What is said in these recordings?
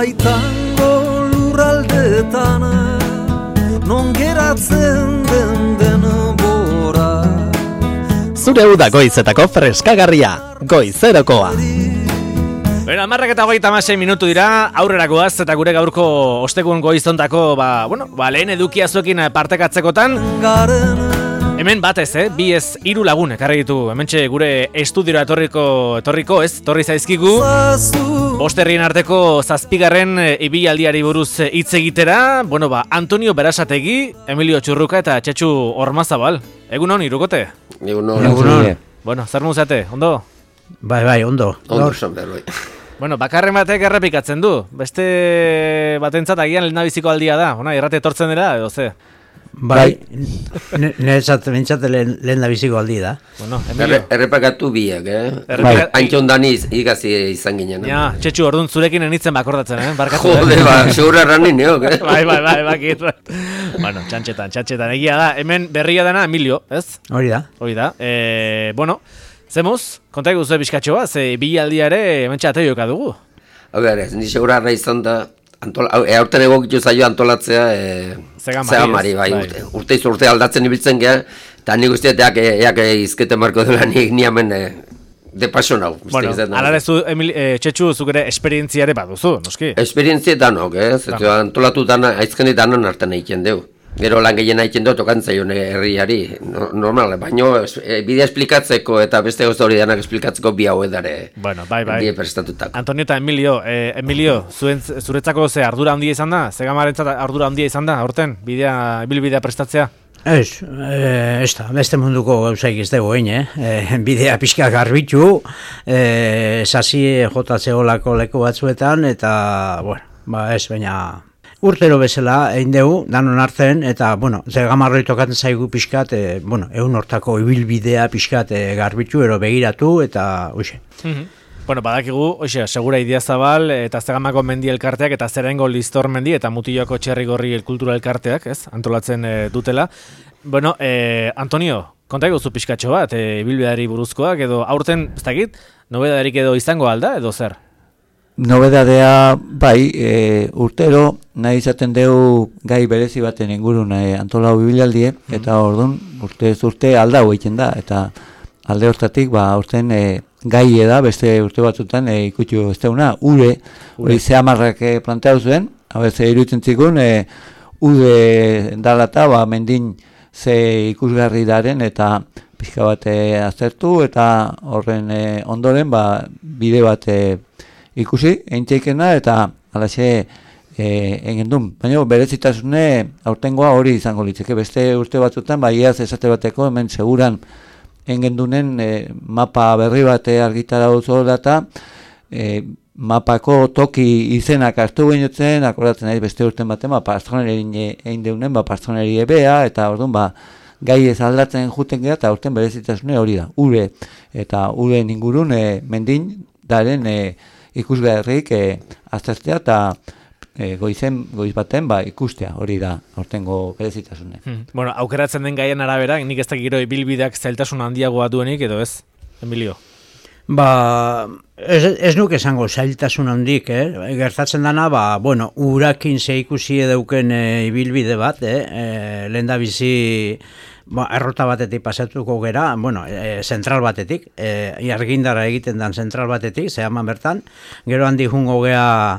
baitango lurraldetan non geratzen den denbora. Zure uda goizetako freskagarria, Goizerokoa. Bueno, 11:36 minutu dira, aurrera goaz eta gure gaurko ostegun goizontako, lehen edukia zuekin partekatzekotan. Hemen batez, bi ez 3 lagun ekarri ditu. Hementxe gure estudiora etorri zaizkigu. Bosterrien arteko 7. ibilaldiari buruz hitz egitera. Antonio Berasategi, Emilio Txurruka eta Txetxu Ormazabal. Egunon, Irukote? Egunon. Zer muzate, ondo? Bai, ondo. Ondo zonber, bai. Bakarren batek errepikatzen du. Beste batentzat agian lehendabiziko aldia da. Irrate etortzen dela, edo ze? Bai, niretzat lehendabiziko aldi da. Errepakatu biak, Antxon Daniz igazi izan ginen. Ja, Txetxu, orduan zurekin enitzen bakordatzen, barkatu. Jode, segura erranin, Bai, bakit. Txantxetan, egia da. Hemen berria dena Emilio, ez? Hori da. Zemuz, konta eguzu bizkatxo bat, ze bilaldiare hemen txateioka dugu. Ni segura arra izan da, aurten egokitu zaio antolatzea Zegamari, bai, urte aldatzen ibiltzen geha, eta nik usteeteak eak izkete marko dela nik niamen de paso nau. Alarezu, Txetxu, zuk ere esperientziare baduzu, noski? Esperientzia danok, antolatu dana, aizkeni danan hartan egiten deu. Gero lan gehien egiten dut okantzaion herriari, normal, baina bidea esplikatzeko eta beste gauza hori danak esplikatzeko bi hau edare. Bai. Die prestatutako. Antonio eta Emilio, zuretzako ze ardura handia izan da? Zegamarentzat ardura handia izan da, aurten, bilbidea prestatzea? Ez da, beste munduko gauzaik ez dugu bidea pixka garbitu, sasi jotatzeolako leku batzuetan, eta, baina... Urtero bezala egin dugu, danon hartzen, eta, Zegamarroi tokatzen zaigu pixkat, egun hortako ibilbidea pixkat garbitu, ero begiratu, eta, uxe. Badakigu, Segura Idiazabal, eta Zegamako mendi elkarteak, eta Zerengo Listor mendi, eta Mutiloko Txerrigorri kultura elkarteak, antolatzen dutela. Antonio, konta eguzu pixkatxo bat, ibilbideari buruzkoak, edo aurten, ez dakit, nobedarik edo izango alda, edo zer? Nobedadea, urtero nahi izaten dugu gai berezi baten ingurun antolau bibilaldie, eta orduan urte aldau egiten da, eta alde hortatik, urten gai da, beste urte batzutan ikutxu ez deuna, hori Zegamarrak planteatu zuen, iruditzen zikun, ude dalata, mendin ze ikusgarri daren, eta pixka bat aztertu, eta horren ondoren, bide bat ikusi, eintzeikena, eta alaxe egin duen. Baina berezitasune aurtengoa hori izango litzeke. Beste urte batzutan, iaz esate bateko, hemen seguran egin dunen mapa berri bat argitara duzu data, mapako toki izenak hartu behinotzen, akordatzen nahi beste urten baten, pastroneri egin deunen, pastroneri ebea, eta orduan, gai ez aldatzen juten gara, eta urten berezitasune hori da. Ure, eta ure ingurun mendin, daren ikusgarrik aztertzea eta goiz baten ikustea, hori da aurtengo berezitasune. Aukeratzen den gaien arabera, nik ez da gero ibilbideak zailtasun handiagoa duenik, edo ez, Emilio? Ez nuke esango zailtasun handik, gertatzen dana, urakin ze ikusi edauken ibilbide bat, lehendabizi errota batetik pasatuko gera, zentral batetik, argindara egiten dan zentral batetik, Zegaman bertan, gero handi jungo gea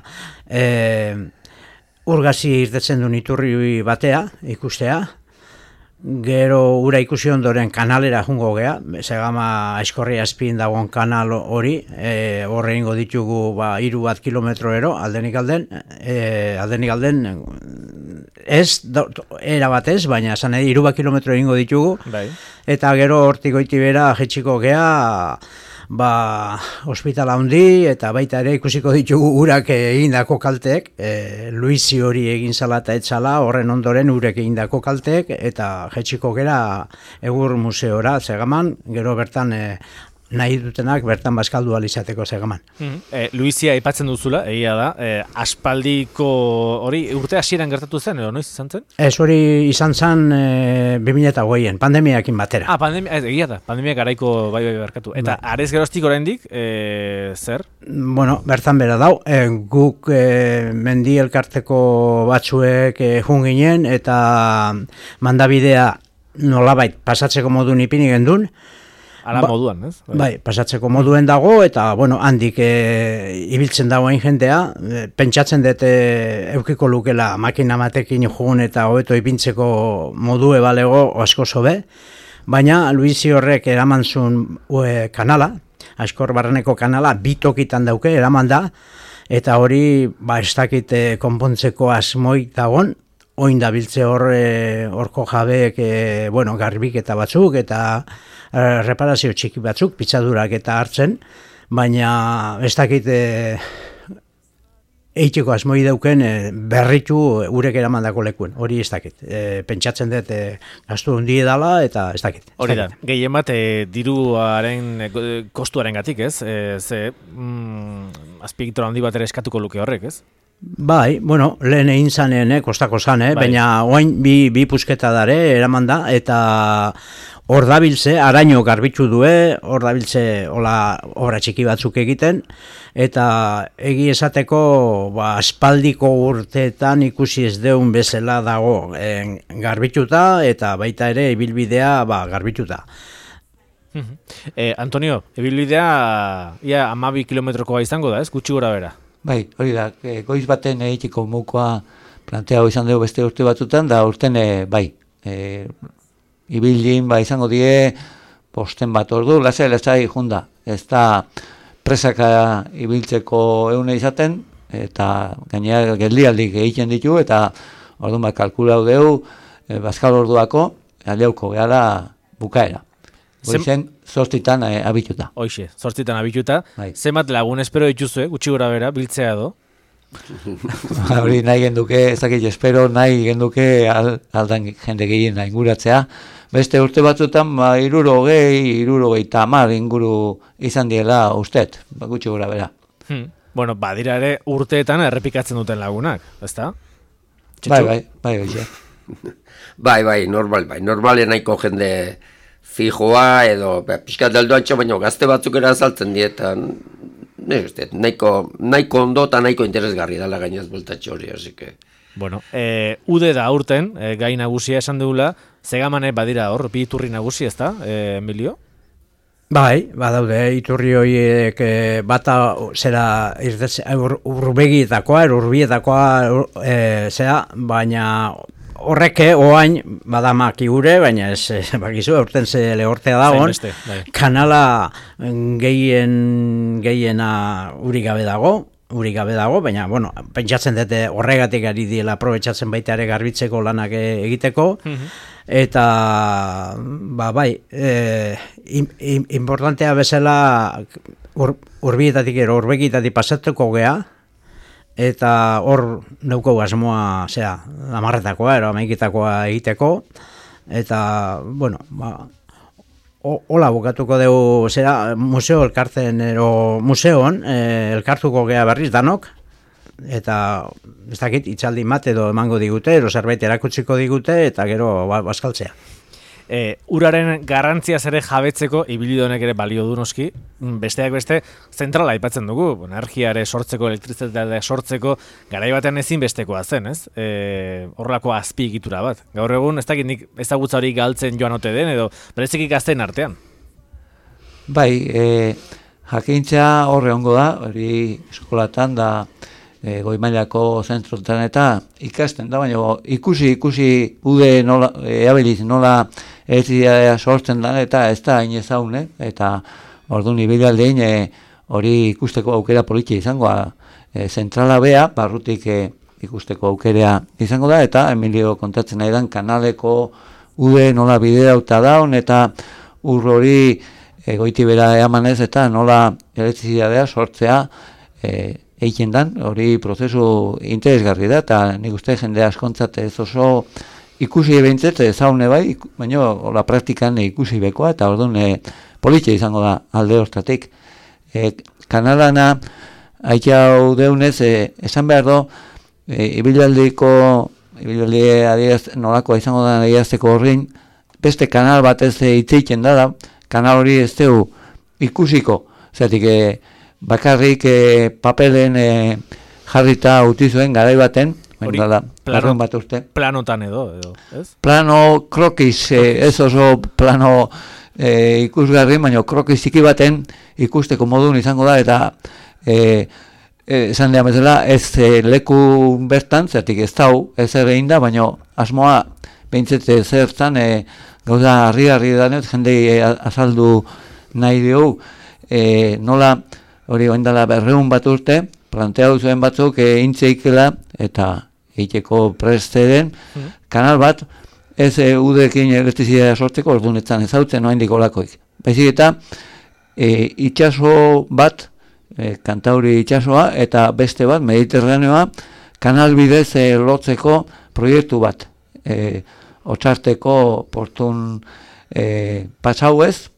urgazi irtetzen duen iturri batea, ikustea, gero ura ikusi ondoren kanalera jungo gea, Zegama Aizkorria azpien dagoen kanal hori, horre ingo ditugu 3 kilometro ero, aldenik alden, ez, era batez, baina esan 3 kilometro ingo ditugu, eta gero hortik goiti bera jetxiko gea, ospitala handi, eta baita ere ikusiko ditugu urak egindako kalteek, Luisi hori egin zala eta etzala, horren ondoren urek egindako kalteek, eta jetxiko gera Egur museora Zegaman, gero bertan nahi dutenak bertan bazkaldu alizateko segaman. Luizia aipatzen duzula, egia da, aspaldiko hori urte hasieran gertatu zen, edo noiz izan zen? Ez hori izan zen 2008an, pandemiakin batera. Egia da, pandemia garaiko bai berkatu. Eta arez geroztik oraindik, zer? Bueno, bertan bera dau, guk mendi elkarteko batzuek jun ginen, eta mandabidea nolabait pasatzeko modun ipini gendun, Ala moduan, ez? Bai, pasatzeko moduen dago, eta, bueno, handik ibiltzen dagoen jendea, pentsatzen dut eukiko lukela makina batekin jugun eta hobeto ipintzeko modue balego asko zobe, baina Luisi horrek eraman zuen kanala, Askor barreneko kanala, bitokitan dauke, eraman da, eta hori, ez dakit konpontzeko asmoik dagon, oin da biltze horko jabeek, garbik eta batzuk, eta reparazio txiki batzuk, pitzadurak eta hartzen, baina ez dakit eiteko asmoi dauken berritu urek eramandako lekuen, hori ez dakit. Pentsatzen dut gastu hundie dala eta ez dakit. Hori da, gehien bat diruaren kostuaren gatik, ez? Azpiegitura handi bat ere eskatuko luke horrek, ez? Bai, bueno, lehen egin zanen, kostako zan, baina oain bi pusketa dare eraman da, eta hor dabiltze, araño garbitu due, hor dabiltze obra txiki batzuk egiten, eta egi esateko aspaldiko urteetan ikusi ez deun bezala dago garbituta, eta baita ere ibilbidea garbituta. Antonio, ibilbidea ia 12 kilometrokoa izango da, ez? Gutxi gora bera. Bai, hori da, goiz baten egiteko mukoa planteago izan dugu beste urte batzutan, da urten bai, ibildin izango die posten bat ordu, lasai junda, ez da presaka ibiltzeko eune izaten, eta gainera geldialdik egiten ditu, eta orduan kalkulau dugu, bazkal orduako, aldeuko gehala bukaera. Goizen, 8 abituta. Hoxe, 8 abituta. Bai. Zenbat lagun espero dituzue, gutxi gora bera, biltzea do? Hori nahi genduke, ez dakit espero, nahi genduke aldan jende gehien inguratzea. Beste urte batzutan, 60 inguru izan diela ustet, gutxi gora bera. Bueno, badira ere urteetan errepikatzen duten lagunak, ezta? Bai, Bai, normal nahiko jende fijoa edo pixkat daldo antxo, baina gazte batzuk azaltzen dietan, nahiko ondo eta nahiko interesgarri dala gainaz bultatxo hori, hasi que... Bueno, ude da aurten, gai nagusia esan dugula, zegamane badira hor, bi iturri nagusi, ezta, Emilio? Bai, badaude, iturri horiek bata zera urbietakoa, baina horrek oain badamak igure, baina ez bakizu, aurten ze lehortea dagoen, kanala gehiena uri gabe dago, baina, bueno, pentsatzen dute horregatik ari diela aprobetxatzen baita ere garbitzeko lanak egiteko, eta, bai, importantea bezala urbietatik urbegitatik pasatuko gea, eta hor neuko asmoa, amarretakoa, amaikitakoa egiteko, eta, bueno, hola bukatuko dugu, museo elkartzen, museoan, elkartuko gea berriz danok, eta, ez dakit, itzaldi bat edo emango digute, zerbait erakutsiko digute, eta gero bazkaltzea. Uraren garrantziaz ere jabetzeko ibilidonek ere balio du noski, besteak beste zentrala aipatzen dugu, energiare sortzeko, elektrizitatea sortzeko, garai batean ezin bestekoa zen, ez? Horrelako azpiegitura bat. Gaur egun ez dakit nik ezagutza hori galtzen joan ote den edo bereziki gazteen artean. Bai, jakintza horre ongo da, hori eskolatan da goi mailako zentrotan eta ikasten da, baina ikusi ude nola, eabiliz nola elektrizitatea sortzen da eta ez da hain ezaun, eta orduan ibilaldein hori ikusteko aukera politia izangoa, zentrala bea, barrutik ikusteko aukera izango da, eta Emilio kontatzen nahi dan kanaleko ude nola biderauta daun, eta hori goiti bera eamanez, eta nola elektrizitatea sortzea egiten dan, hori prozesu interesgarri da, eta nik uste jende askontzat ez oso ikusi behintzet zaune bai, baina la praktikan ikusi bekoa, eta orduan politxe izango da alde hortatik. Kanalana haitxau deunez, esan behar do, ibilaldi nolakoa izango da adierazteko horrein, beste kanal batez itzeiten da, kanal hori ez dugu ikusiko, zeratik bakarrik papelen jarrita utizuen garai baten, planotan edo, ez? Plano krokiz, ez oso plano ikusgarri, baina krokiz txiki baten ikusteko modun izango da, eta esan dian bezala, ez leku bertan, zertik ez dau, ez egin da, baina asmoa behintzet zertan gauza harri danet, jendei azaldu nahi dugu, nola hori oindala 200 bat urte, planteatu zuen batzuk intzeikela eta egiteko presteren kanal bat, ez udekin elektrizitatea sortzeko, ordunetan ezautzen oraindik olakoik. Baizik eta itsaso bat, Kantauri itsasoa, eta beste bat, Mediterraneoa, kanal bidez lotzeko proiektu bat. Otsarteko portun pasauez,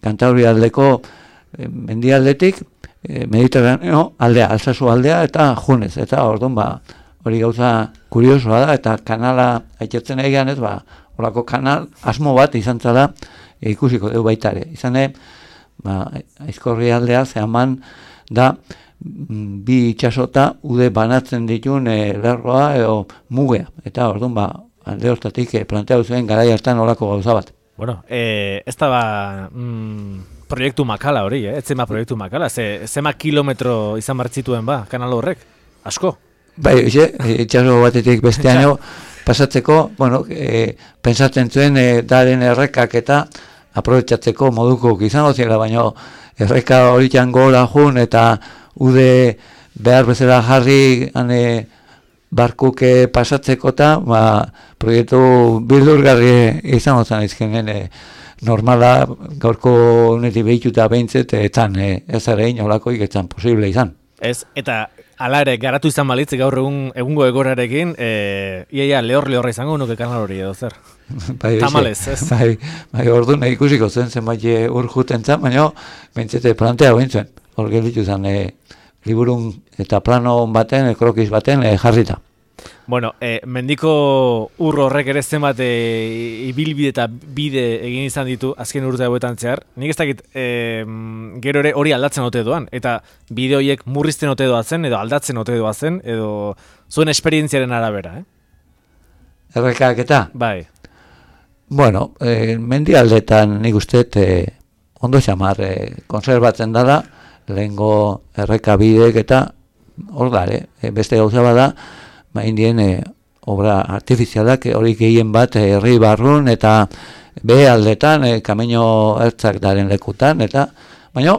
Kantauri aldeko mendialdetik, Mediterraneo aldea, Alsasu aldea, eta junez, eta orduan hori gauza kuriosoa da, eta kanala aitzatzen egian ez, horako kanal asmo bat izan zala ikusiko dugu baitare. Izan Aizkorri aldea zehaman da bi itxasota ude banatzen ditun lerroa edo mugea, eta orduan alde hortatik planteatu zuen garai hartan horako gauza bat. Bueno, ez da proiektu makala hori, ez zema proiektu makala, zema kilometro izan martzituen kanal horrek, asko? Bai, itxaso batetik besteaino pasatzeko, pensatzen zuen daren errekak eta aprobetxatzeko moduko izango zela, baina erreka horitan gora jun eta ude behar bezala jarri barkuk pasatzeko eta proiektu bildurgarri izango zen izkenen normala gaurko honetik behituta behintzet etzan ez ere inolakoik etzan posible izan. Ez, eta ala ere, garatu izan balitz gaur egungo egorarekin, iaia lehorra izango nuke kanal hori edo zer. Tamalez, ez? Bai, orduan ikusiko zenbait urjuten zan, baina bentsete plantea bintzuen. Hor gelitu zen liburun eta plano baten, krokiz baten jarrita. Bueno, mendiko horrek ere zenbat ibilbide eta bide egin izan ditu azken urte hauetan zehar. Nik ez dakit gero ere hori aldatzen ote doan, eta bide horiek murrizten ote doazen, edo aldatzen ote doazen, edo zuen esperientziaren arabera, Errekak eta? Bai. Bueno, mendialdetan nik usteet ondo xamar konserbatzen dala, lehengo erreka bideek eta hor da, beste gauza bada, indien obra artifizialak hori gehien bat herri barrun eta behe aldetan, kamino ertzak daren lekutan, eta baina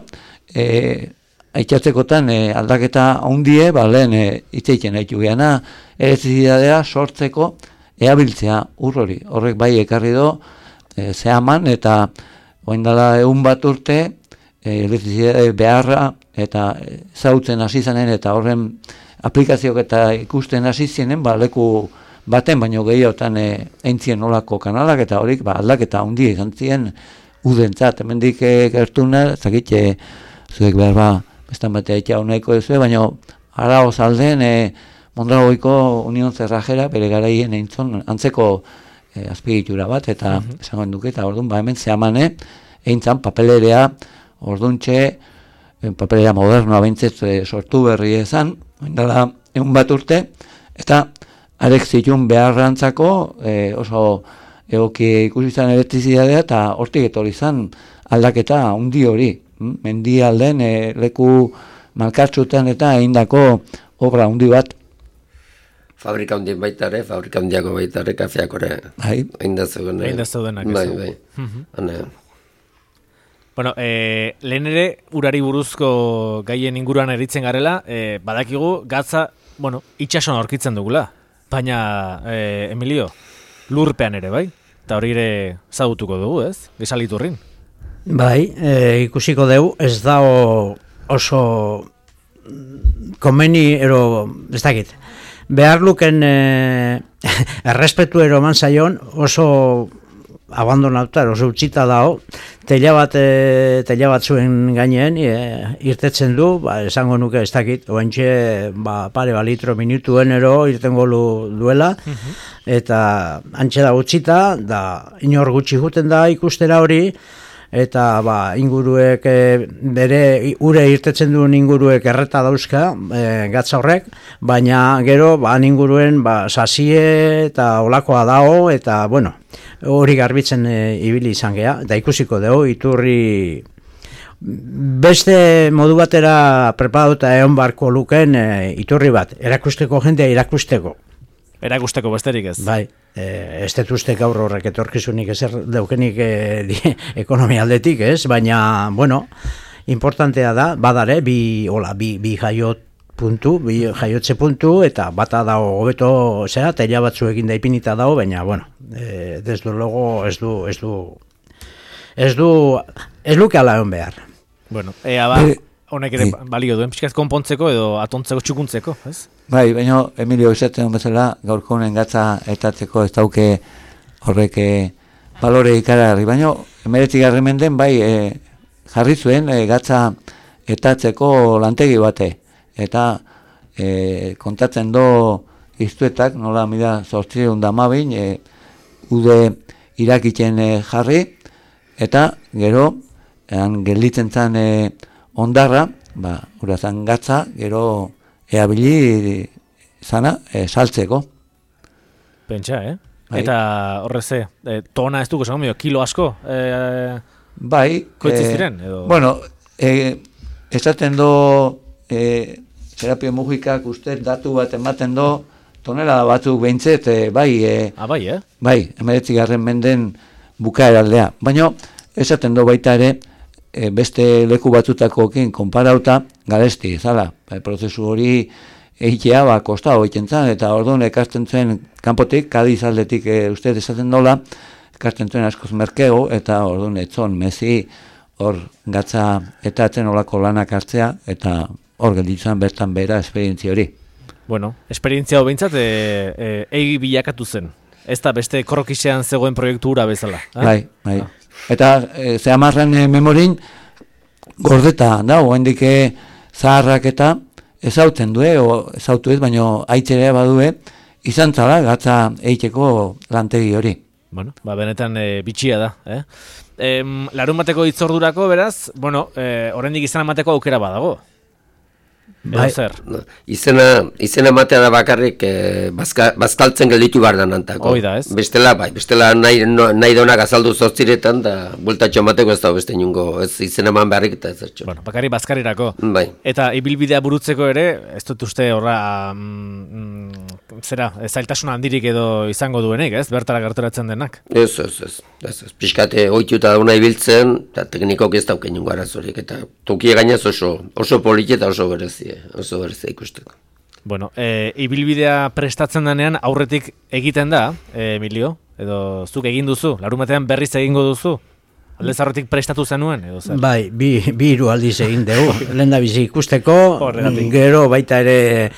aitxatzekotan aldaketa handie, lehen itzeiken haitu geana, elektrizitatea sortzeko eabiltzea hori. Horrek bai ekarri do, zehaman eta oindala 100 bat urte, elektrizitate beharra eta zautzen hasi zanen eta horren aplikazioak eta ikusten hasi zienen, leku baten, baino gehiotan eintzien nolako kanalak eta horik aldaketa handia izan ziren udentzat. Hemendik gertuna, zakit, zuek behar bestan batea itxau nahiko duzue, baino araoz alden Mondragoiko Union Zerrajera bere garaien eintzon antzeko azpiegitura bat, eta esango duke, eta orduan hemen zehamane eintzan papelerea orduntxe, papelerea modernoa behintzet sortu berri ezan, dela 100 bat urte, eta arek zitun beharrantzako oso egoki ikusi izan elektrizitatea, eta hortik etorri izan aldaketa handi hori. Mendi alden leku malkartzutan eta egindako obra handi bat. Fabrika handien baitare, fabrika handiako baitare, kafeak ore. Eindazteudenak. Bai. Bueno, lehen ere urari buruzko gaien inguruan eritzen garela, badakigu gatza, itxasoan aurkitzen dugula. Baina, Emilio, lurpean ere, bai? Eta hori ere zagutuko dugu, ez? Gesaliturrin. Bai, ikusiko dugu, ez da oso komeni, ez dakit. Behar luken errespetu eroman zaion oso abandonatuta, oso utzita dago, teila batzuen gainean irtetzen du, esango nuke ez dakit, oentxe pare litro minutuenero irtengo duela, eta antxe da utzita, da inor gutxi juten da ikustera hori, eta inguruek bere ure irtetzen duen inguruek erreta dauzka gatza horrek, baina gero inguruen sasie eta olakoa dago, eta bueno, hori garbitzen ibili izan gea, eta ikusiko dugu iturri beste modu batera preparatuta egon barko luken iturri bat, erakusteko jendea erakusteko besterik ez. Bai, ez detuzte gaur horrek etorkizunik ezer daukenik ekonomia aldetik, ez? Baina, bueno, importantea da, badare, bi jaiotze puntu, eta bata dago hobeto, teila batzuekin da ipinita dago, baina, bueno, desde luego ez luke ala egon behar. Bueno, honek ere balio duen, pixkaz konpontzeko edo atontzeko txukuntzeko, ez? Bai, baina Emilio izaten bezala, gaurko honen gatza etatzeko ez dauke horrek balore ikaragarri, baina 19. menden bai jarri zuen gatza etatzeko lantegi bate, eta kontatzen do iztuetak, nola mila 812 ude irakitzen jarri, eta gero gelditzen zan ondarra, urazan gatza, gero eabili zana saltzeko. Pentsa, Eta horreze, tona ez dugu, kilo asko? Bai. Koitziz ziren? Bueno, esaten do terapia mugikak uste datu bat ematen do, tonela batzuk behintzet, bai. Bai, Bai, 19. menden bukaeraldea. Baina, esaten do baita ere, beste leku batzutakoekin konparauta garesti, zala, prozesu hori egitea kosta hoiten zan, eta orduan ekasten zuen kanpotik, Kadiz aldetik uste esaten dola, ekasten zuen askoz merkego, eta orduan etzon mezi hor gatza eta etzen olako lanak hartzea, eta hor gelditzen bertan bera esperientzia hori. Bueno, esperientzia hau behintzat egi bilakatu zen, ez da beste korrokisean zegoen proiektu hura bezala. Bai. Eta zehamarren memorin gordeta da, oendik zaharrak eta ezautzen due, ezautu ez, baina aitzere badue, izan zala gatza eiteko lantegi hori. Bueno, benetan bitxia da. Larun bateko hitzordurako, beraz, bueno, oraindik izan emateko aukera badago. Bai. Izena matea da bakarrik bazkaltzen gelditu behar da nantako. Oida, ez? Bestela nahi donak azaldu zortziretan, da bultatxo mateko ez da beste inungo, ez izena eman beharrik eta ez zertxo. Bueno, bakarrik bazkarirako. Bai. Eta ibilbidea burutzeko ere, ez dut uste horra, zailtasun handirik edo izango duenik, ez? Bertara gerturatzen denak. Ez. Piskate oituta dauna ibiltzen, eta teknikok ez dauken inungo arazorik, eta tokie gainaz oso politi eta oso berezia ikusteko. Bueno, ibilbidea prestatzen denean aurretik egiten da, Emilio, edo zuk egin duzu, larun batean berriz egingo duzu? Aldez aurretik prestatu zenuen, edo zer? Bai, bi hiru aldiz egin dugu, lehen da bizi ikusteko, gero baita ere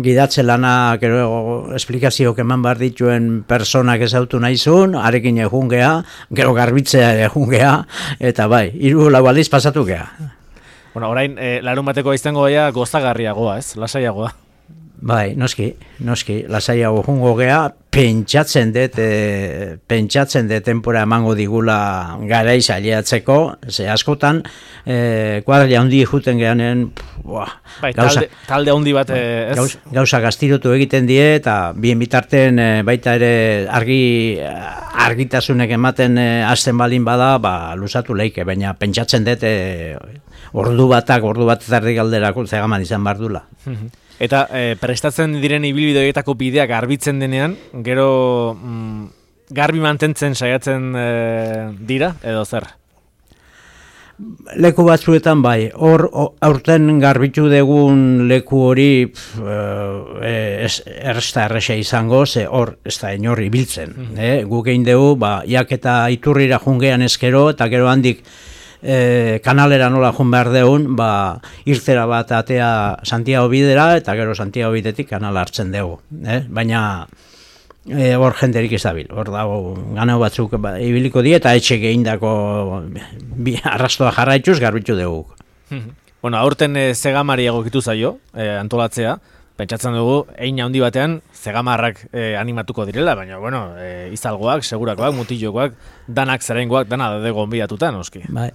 gidatze lana, gero esplikazioak eman behar dituen personak ezautu nahizun, arekin egun gea, gero garbitzea egun gea, eta bai, hiru lau aldiz pasatu gea. Bueno, orain, larun bateko izango gaia gozagarriagoa, ez? Lasaiagoa. Bai, noski, lasaiago jungo gea, pentsatzen dut denpora emango digula garaiz aliatzeko, ze askotan, kuadrilla handi juten geanen, bai, talde handi bat, gauza gaztirotu egiten die, eta bien bitarten baita ere argitasunek ematen hasten balin bada, luzatu leike, baina pentsatzen dut ordu bat erdi galderako zegaman izan behar dula. Eta prestatzen diren ibilbideetako bideak garbitzen denean, gero garbi mantentzen saiatzen dira, edo zer? Leku batzuetan bai, hor aurten garbitu degun leku hori ez da erresa izango, ze hor ez da inor ibiltzen. Guk egin dugu, jak eta iturrira jungean ezkero, eta gero handik kanalera nola joan behar deun, irtera bat atea Santiago bidera, eta gero Santiago bidetik kanala hartzen dugu. Baina hor jenderik ez dabil. Hor dago ganau batzuk ibiliko die eta etxe geindako arrastoa jarraituz garbitu dugu. Bueno, aurten zegamari egokitu zaio, antolatzea. Pentsatzen dugu, hein handi batean, zegamarrak animatuko direla, baina, bueno, izalgoak, segurakoak, mutilokoak, danak zerengoak, dana daude gonbidatuta, noski. Bai,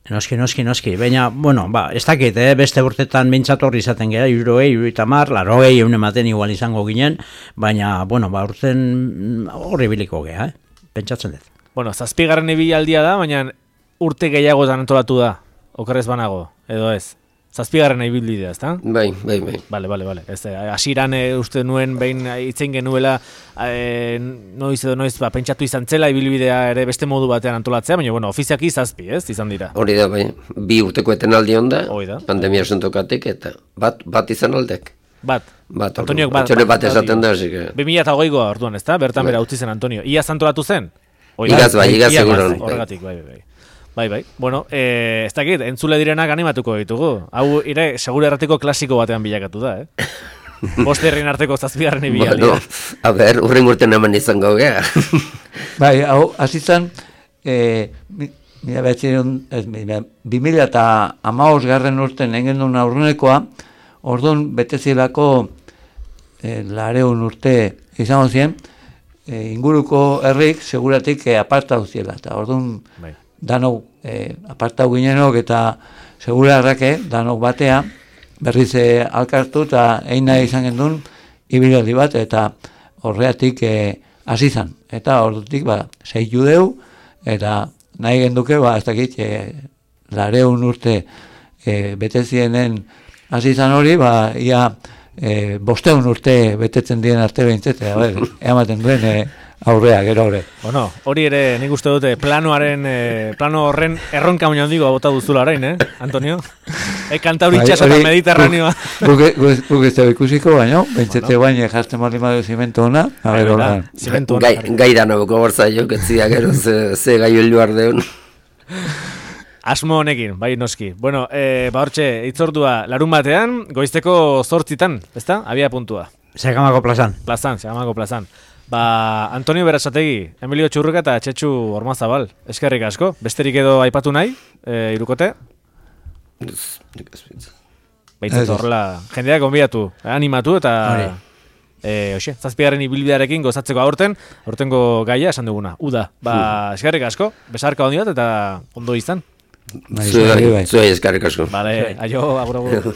noski. Baina, bueno, ez dakit, beste urtetan bintzatorri izaten gara, 70, 80, ematen igual izango ginen, baina, bueno, urten horri biliko gara, pentsatzen dut. Bueno, 7. ibilaldia da, baina urte gehiagotan antolatu da, okerrez banago, edo ez? 7. ibilbidea, ezta? Bai. Bale. Hasieran uste nuen behin itzein genuela noiz pentsatu izan zela ibilbidea ere beste modu batean antolatzea, baina bueno, ofiziaki 7, ez? Izan dira. Hori da, bai. 2 urteko etenaldi onda, pandemia sentokatik eta bat izan aldek. Bat. Antoniok bat esaten da, hasi que 2008 orduan, ezta? Bertan bera utzi zen Antonio. Iaz antolatu zen? Igaz seguran. Horregatik, bai. Bueno, ez dakit, entzule direnak animatuko ditugu. Hau, segure erratiko klasiko batean bilakatu da, Bost herrien arteko 7. ibilaldia. Bueno, a ber, urren urten eman izango gea. Bai, hau, azizan, 2015 urten engen duen aurrenekoa, orduan betezilako 200 urte izango ziren, inguruko herrik seguratik apartau ziela, eta orduan danok apartau ginenok eta segurarrake danok batea berriz alkartu eta eina izan gendun ibilaldi bat eta horreatik hasi zan. Eta ordutik 6 judeu eta nahi genduke ez dakit 200 urte betezienen hasi zan hori, ia 500 urte betetzen dien arte behintzete, ematen duen aurrea, gero hori. Bueno, hori ere nik uste dute plano horren erronka baina handigo bota duzula orain, Antonio? Kantauri itxaso eta Mediterraneoa. Guk ez dago ikusiko, baina, bentsete baina jartzen bali madu zimentu hona. Gai da nabuko bortzaio, ketzia gero ze gai heldu ardeun. Asmo honekin, bai noski. Bueno, hortxe, itzordua larun batean, goizteko 8, ezta? Abia puntua. Zegamako plazan. Zegamako plazan. Antonio Berasategi, Emilio Txurruka eta Txetxu Ormazabal. Eskerrik asko. Besterik edo aipatu nahi, irukote? Baitzat horrela, jendeak gonbidatu, animatu eta... Hoxe, 7. ibilbidearekin gozatzeko aurtengo gaia esan duguna. Uda, eskerrik asko, besarka ondi bat eta ondo izan. Zuei eskerrik asko. Vale, aio, agur.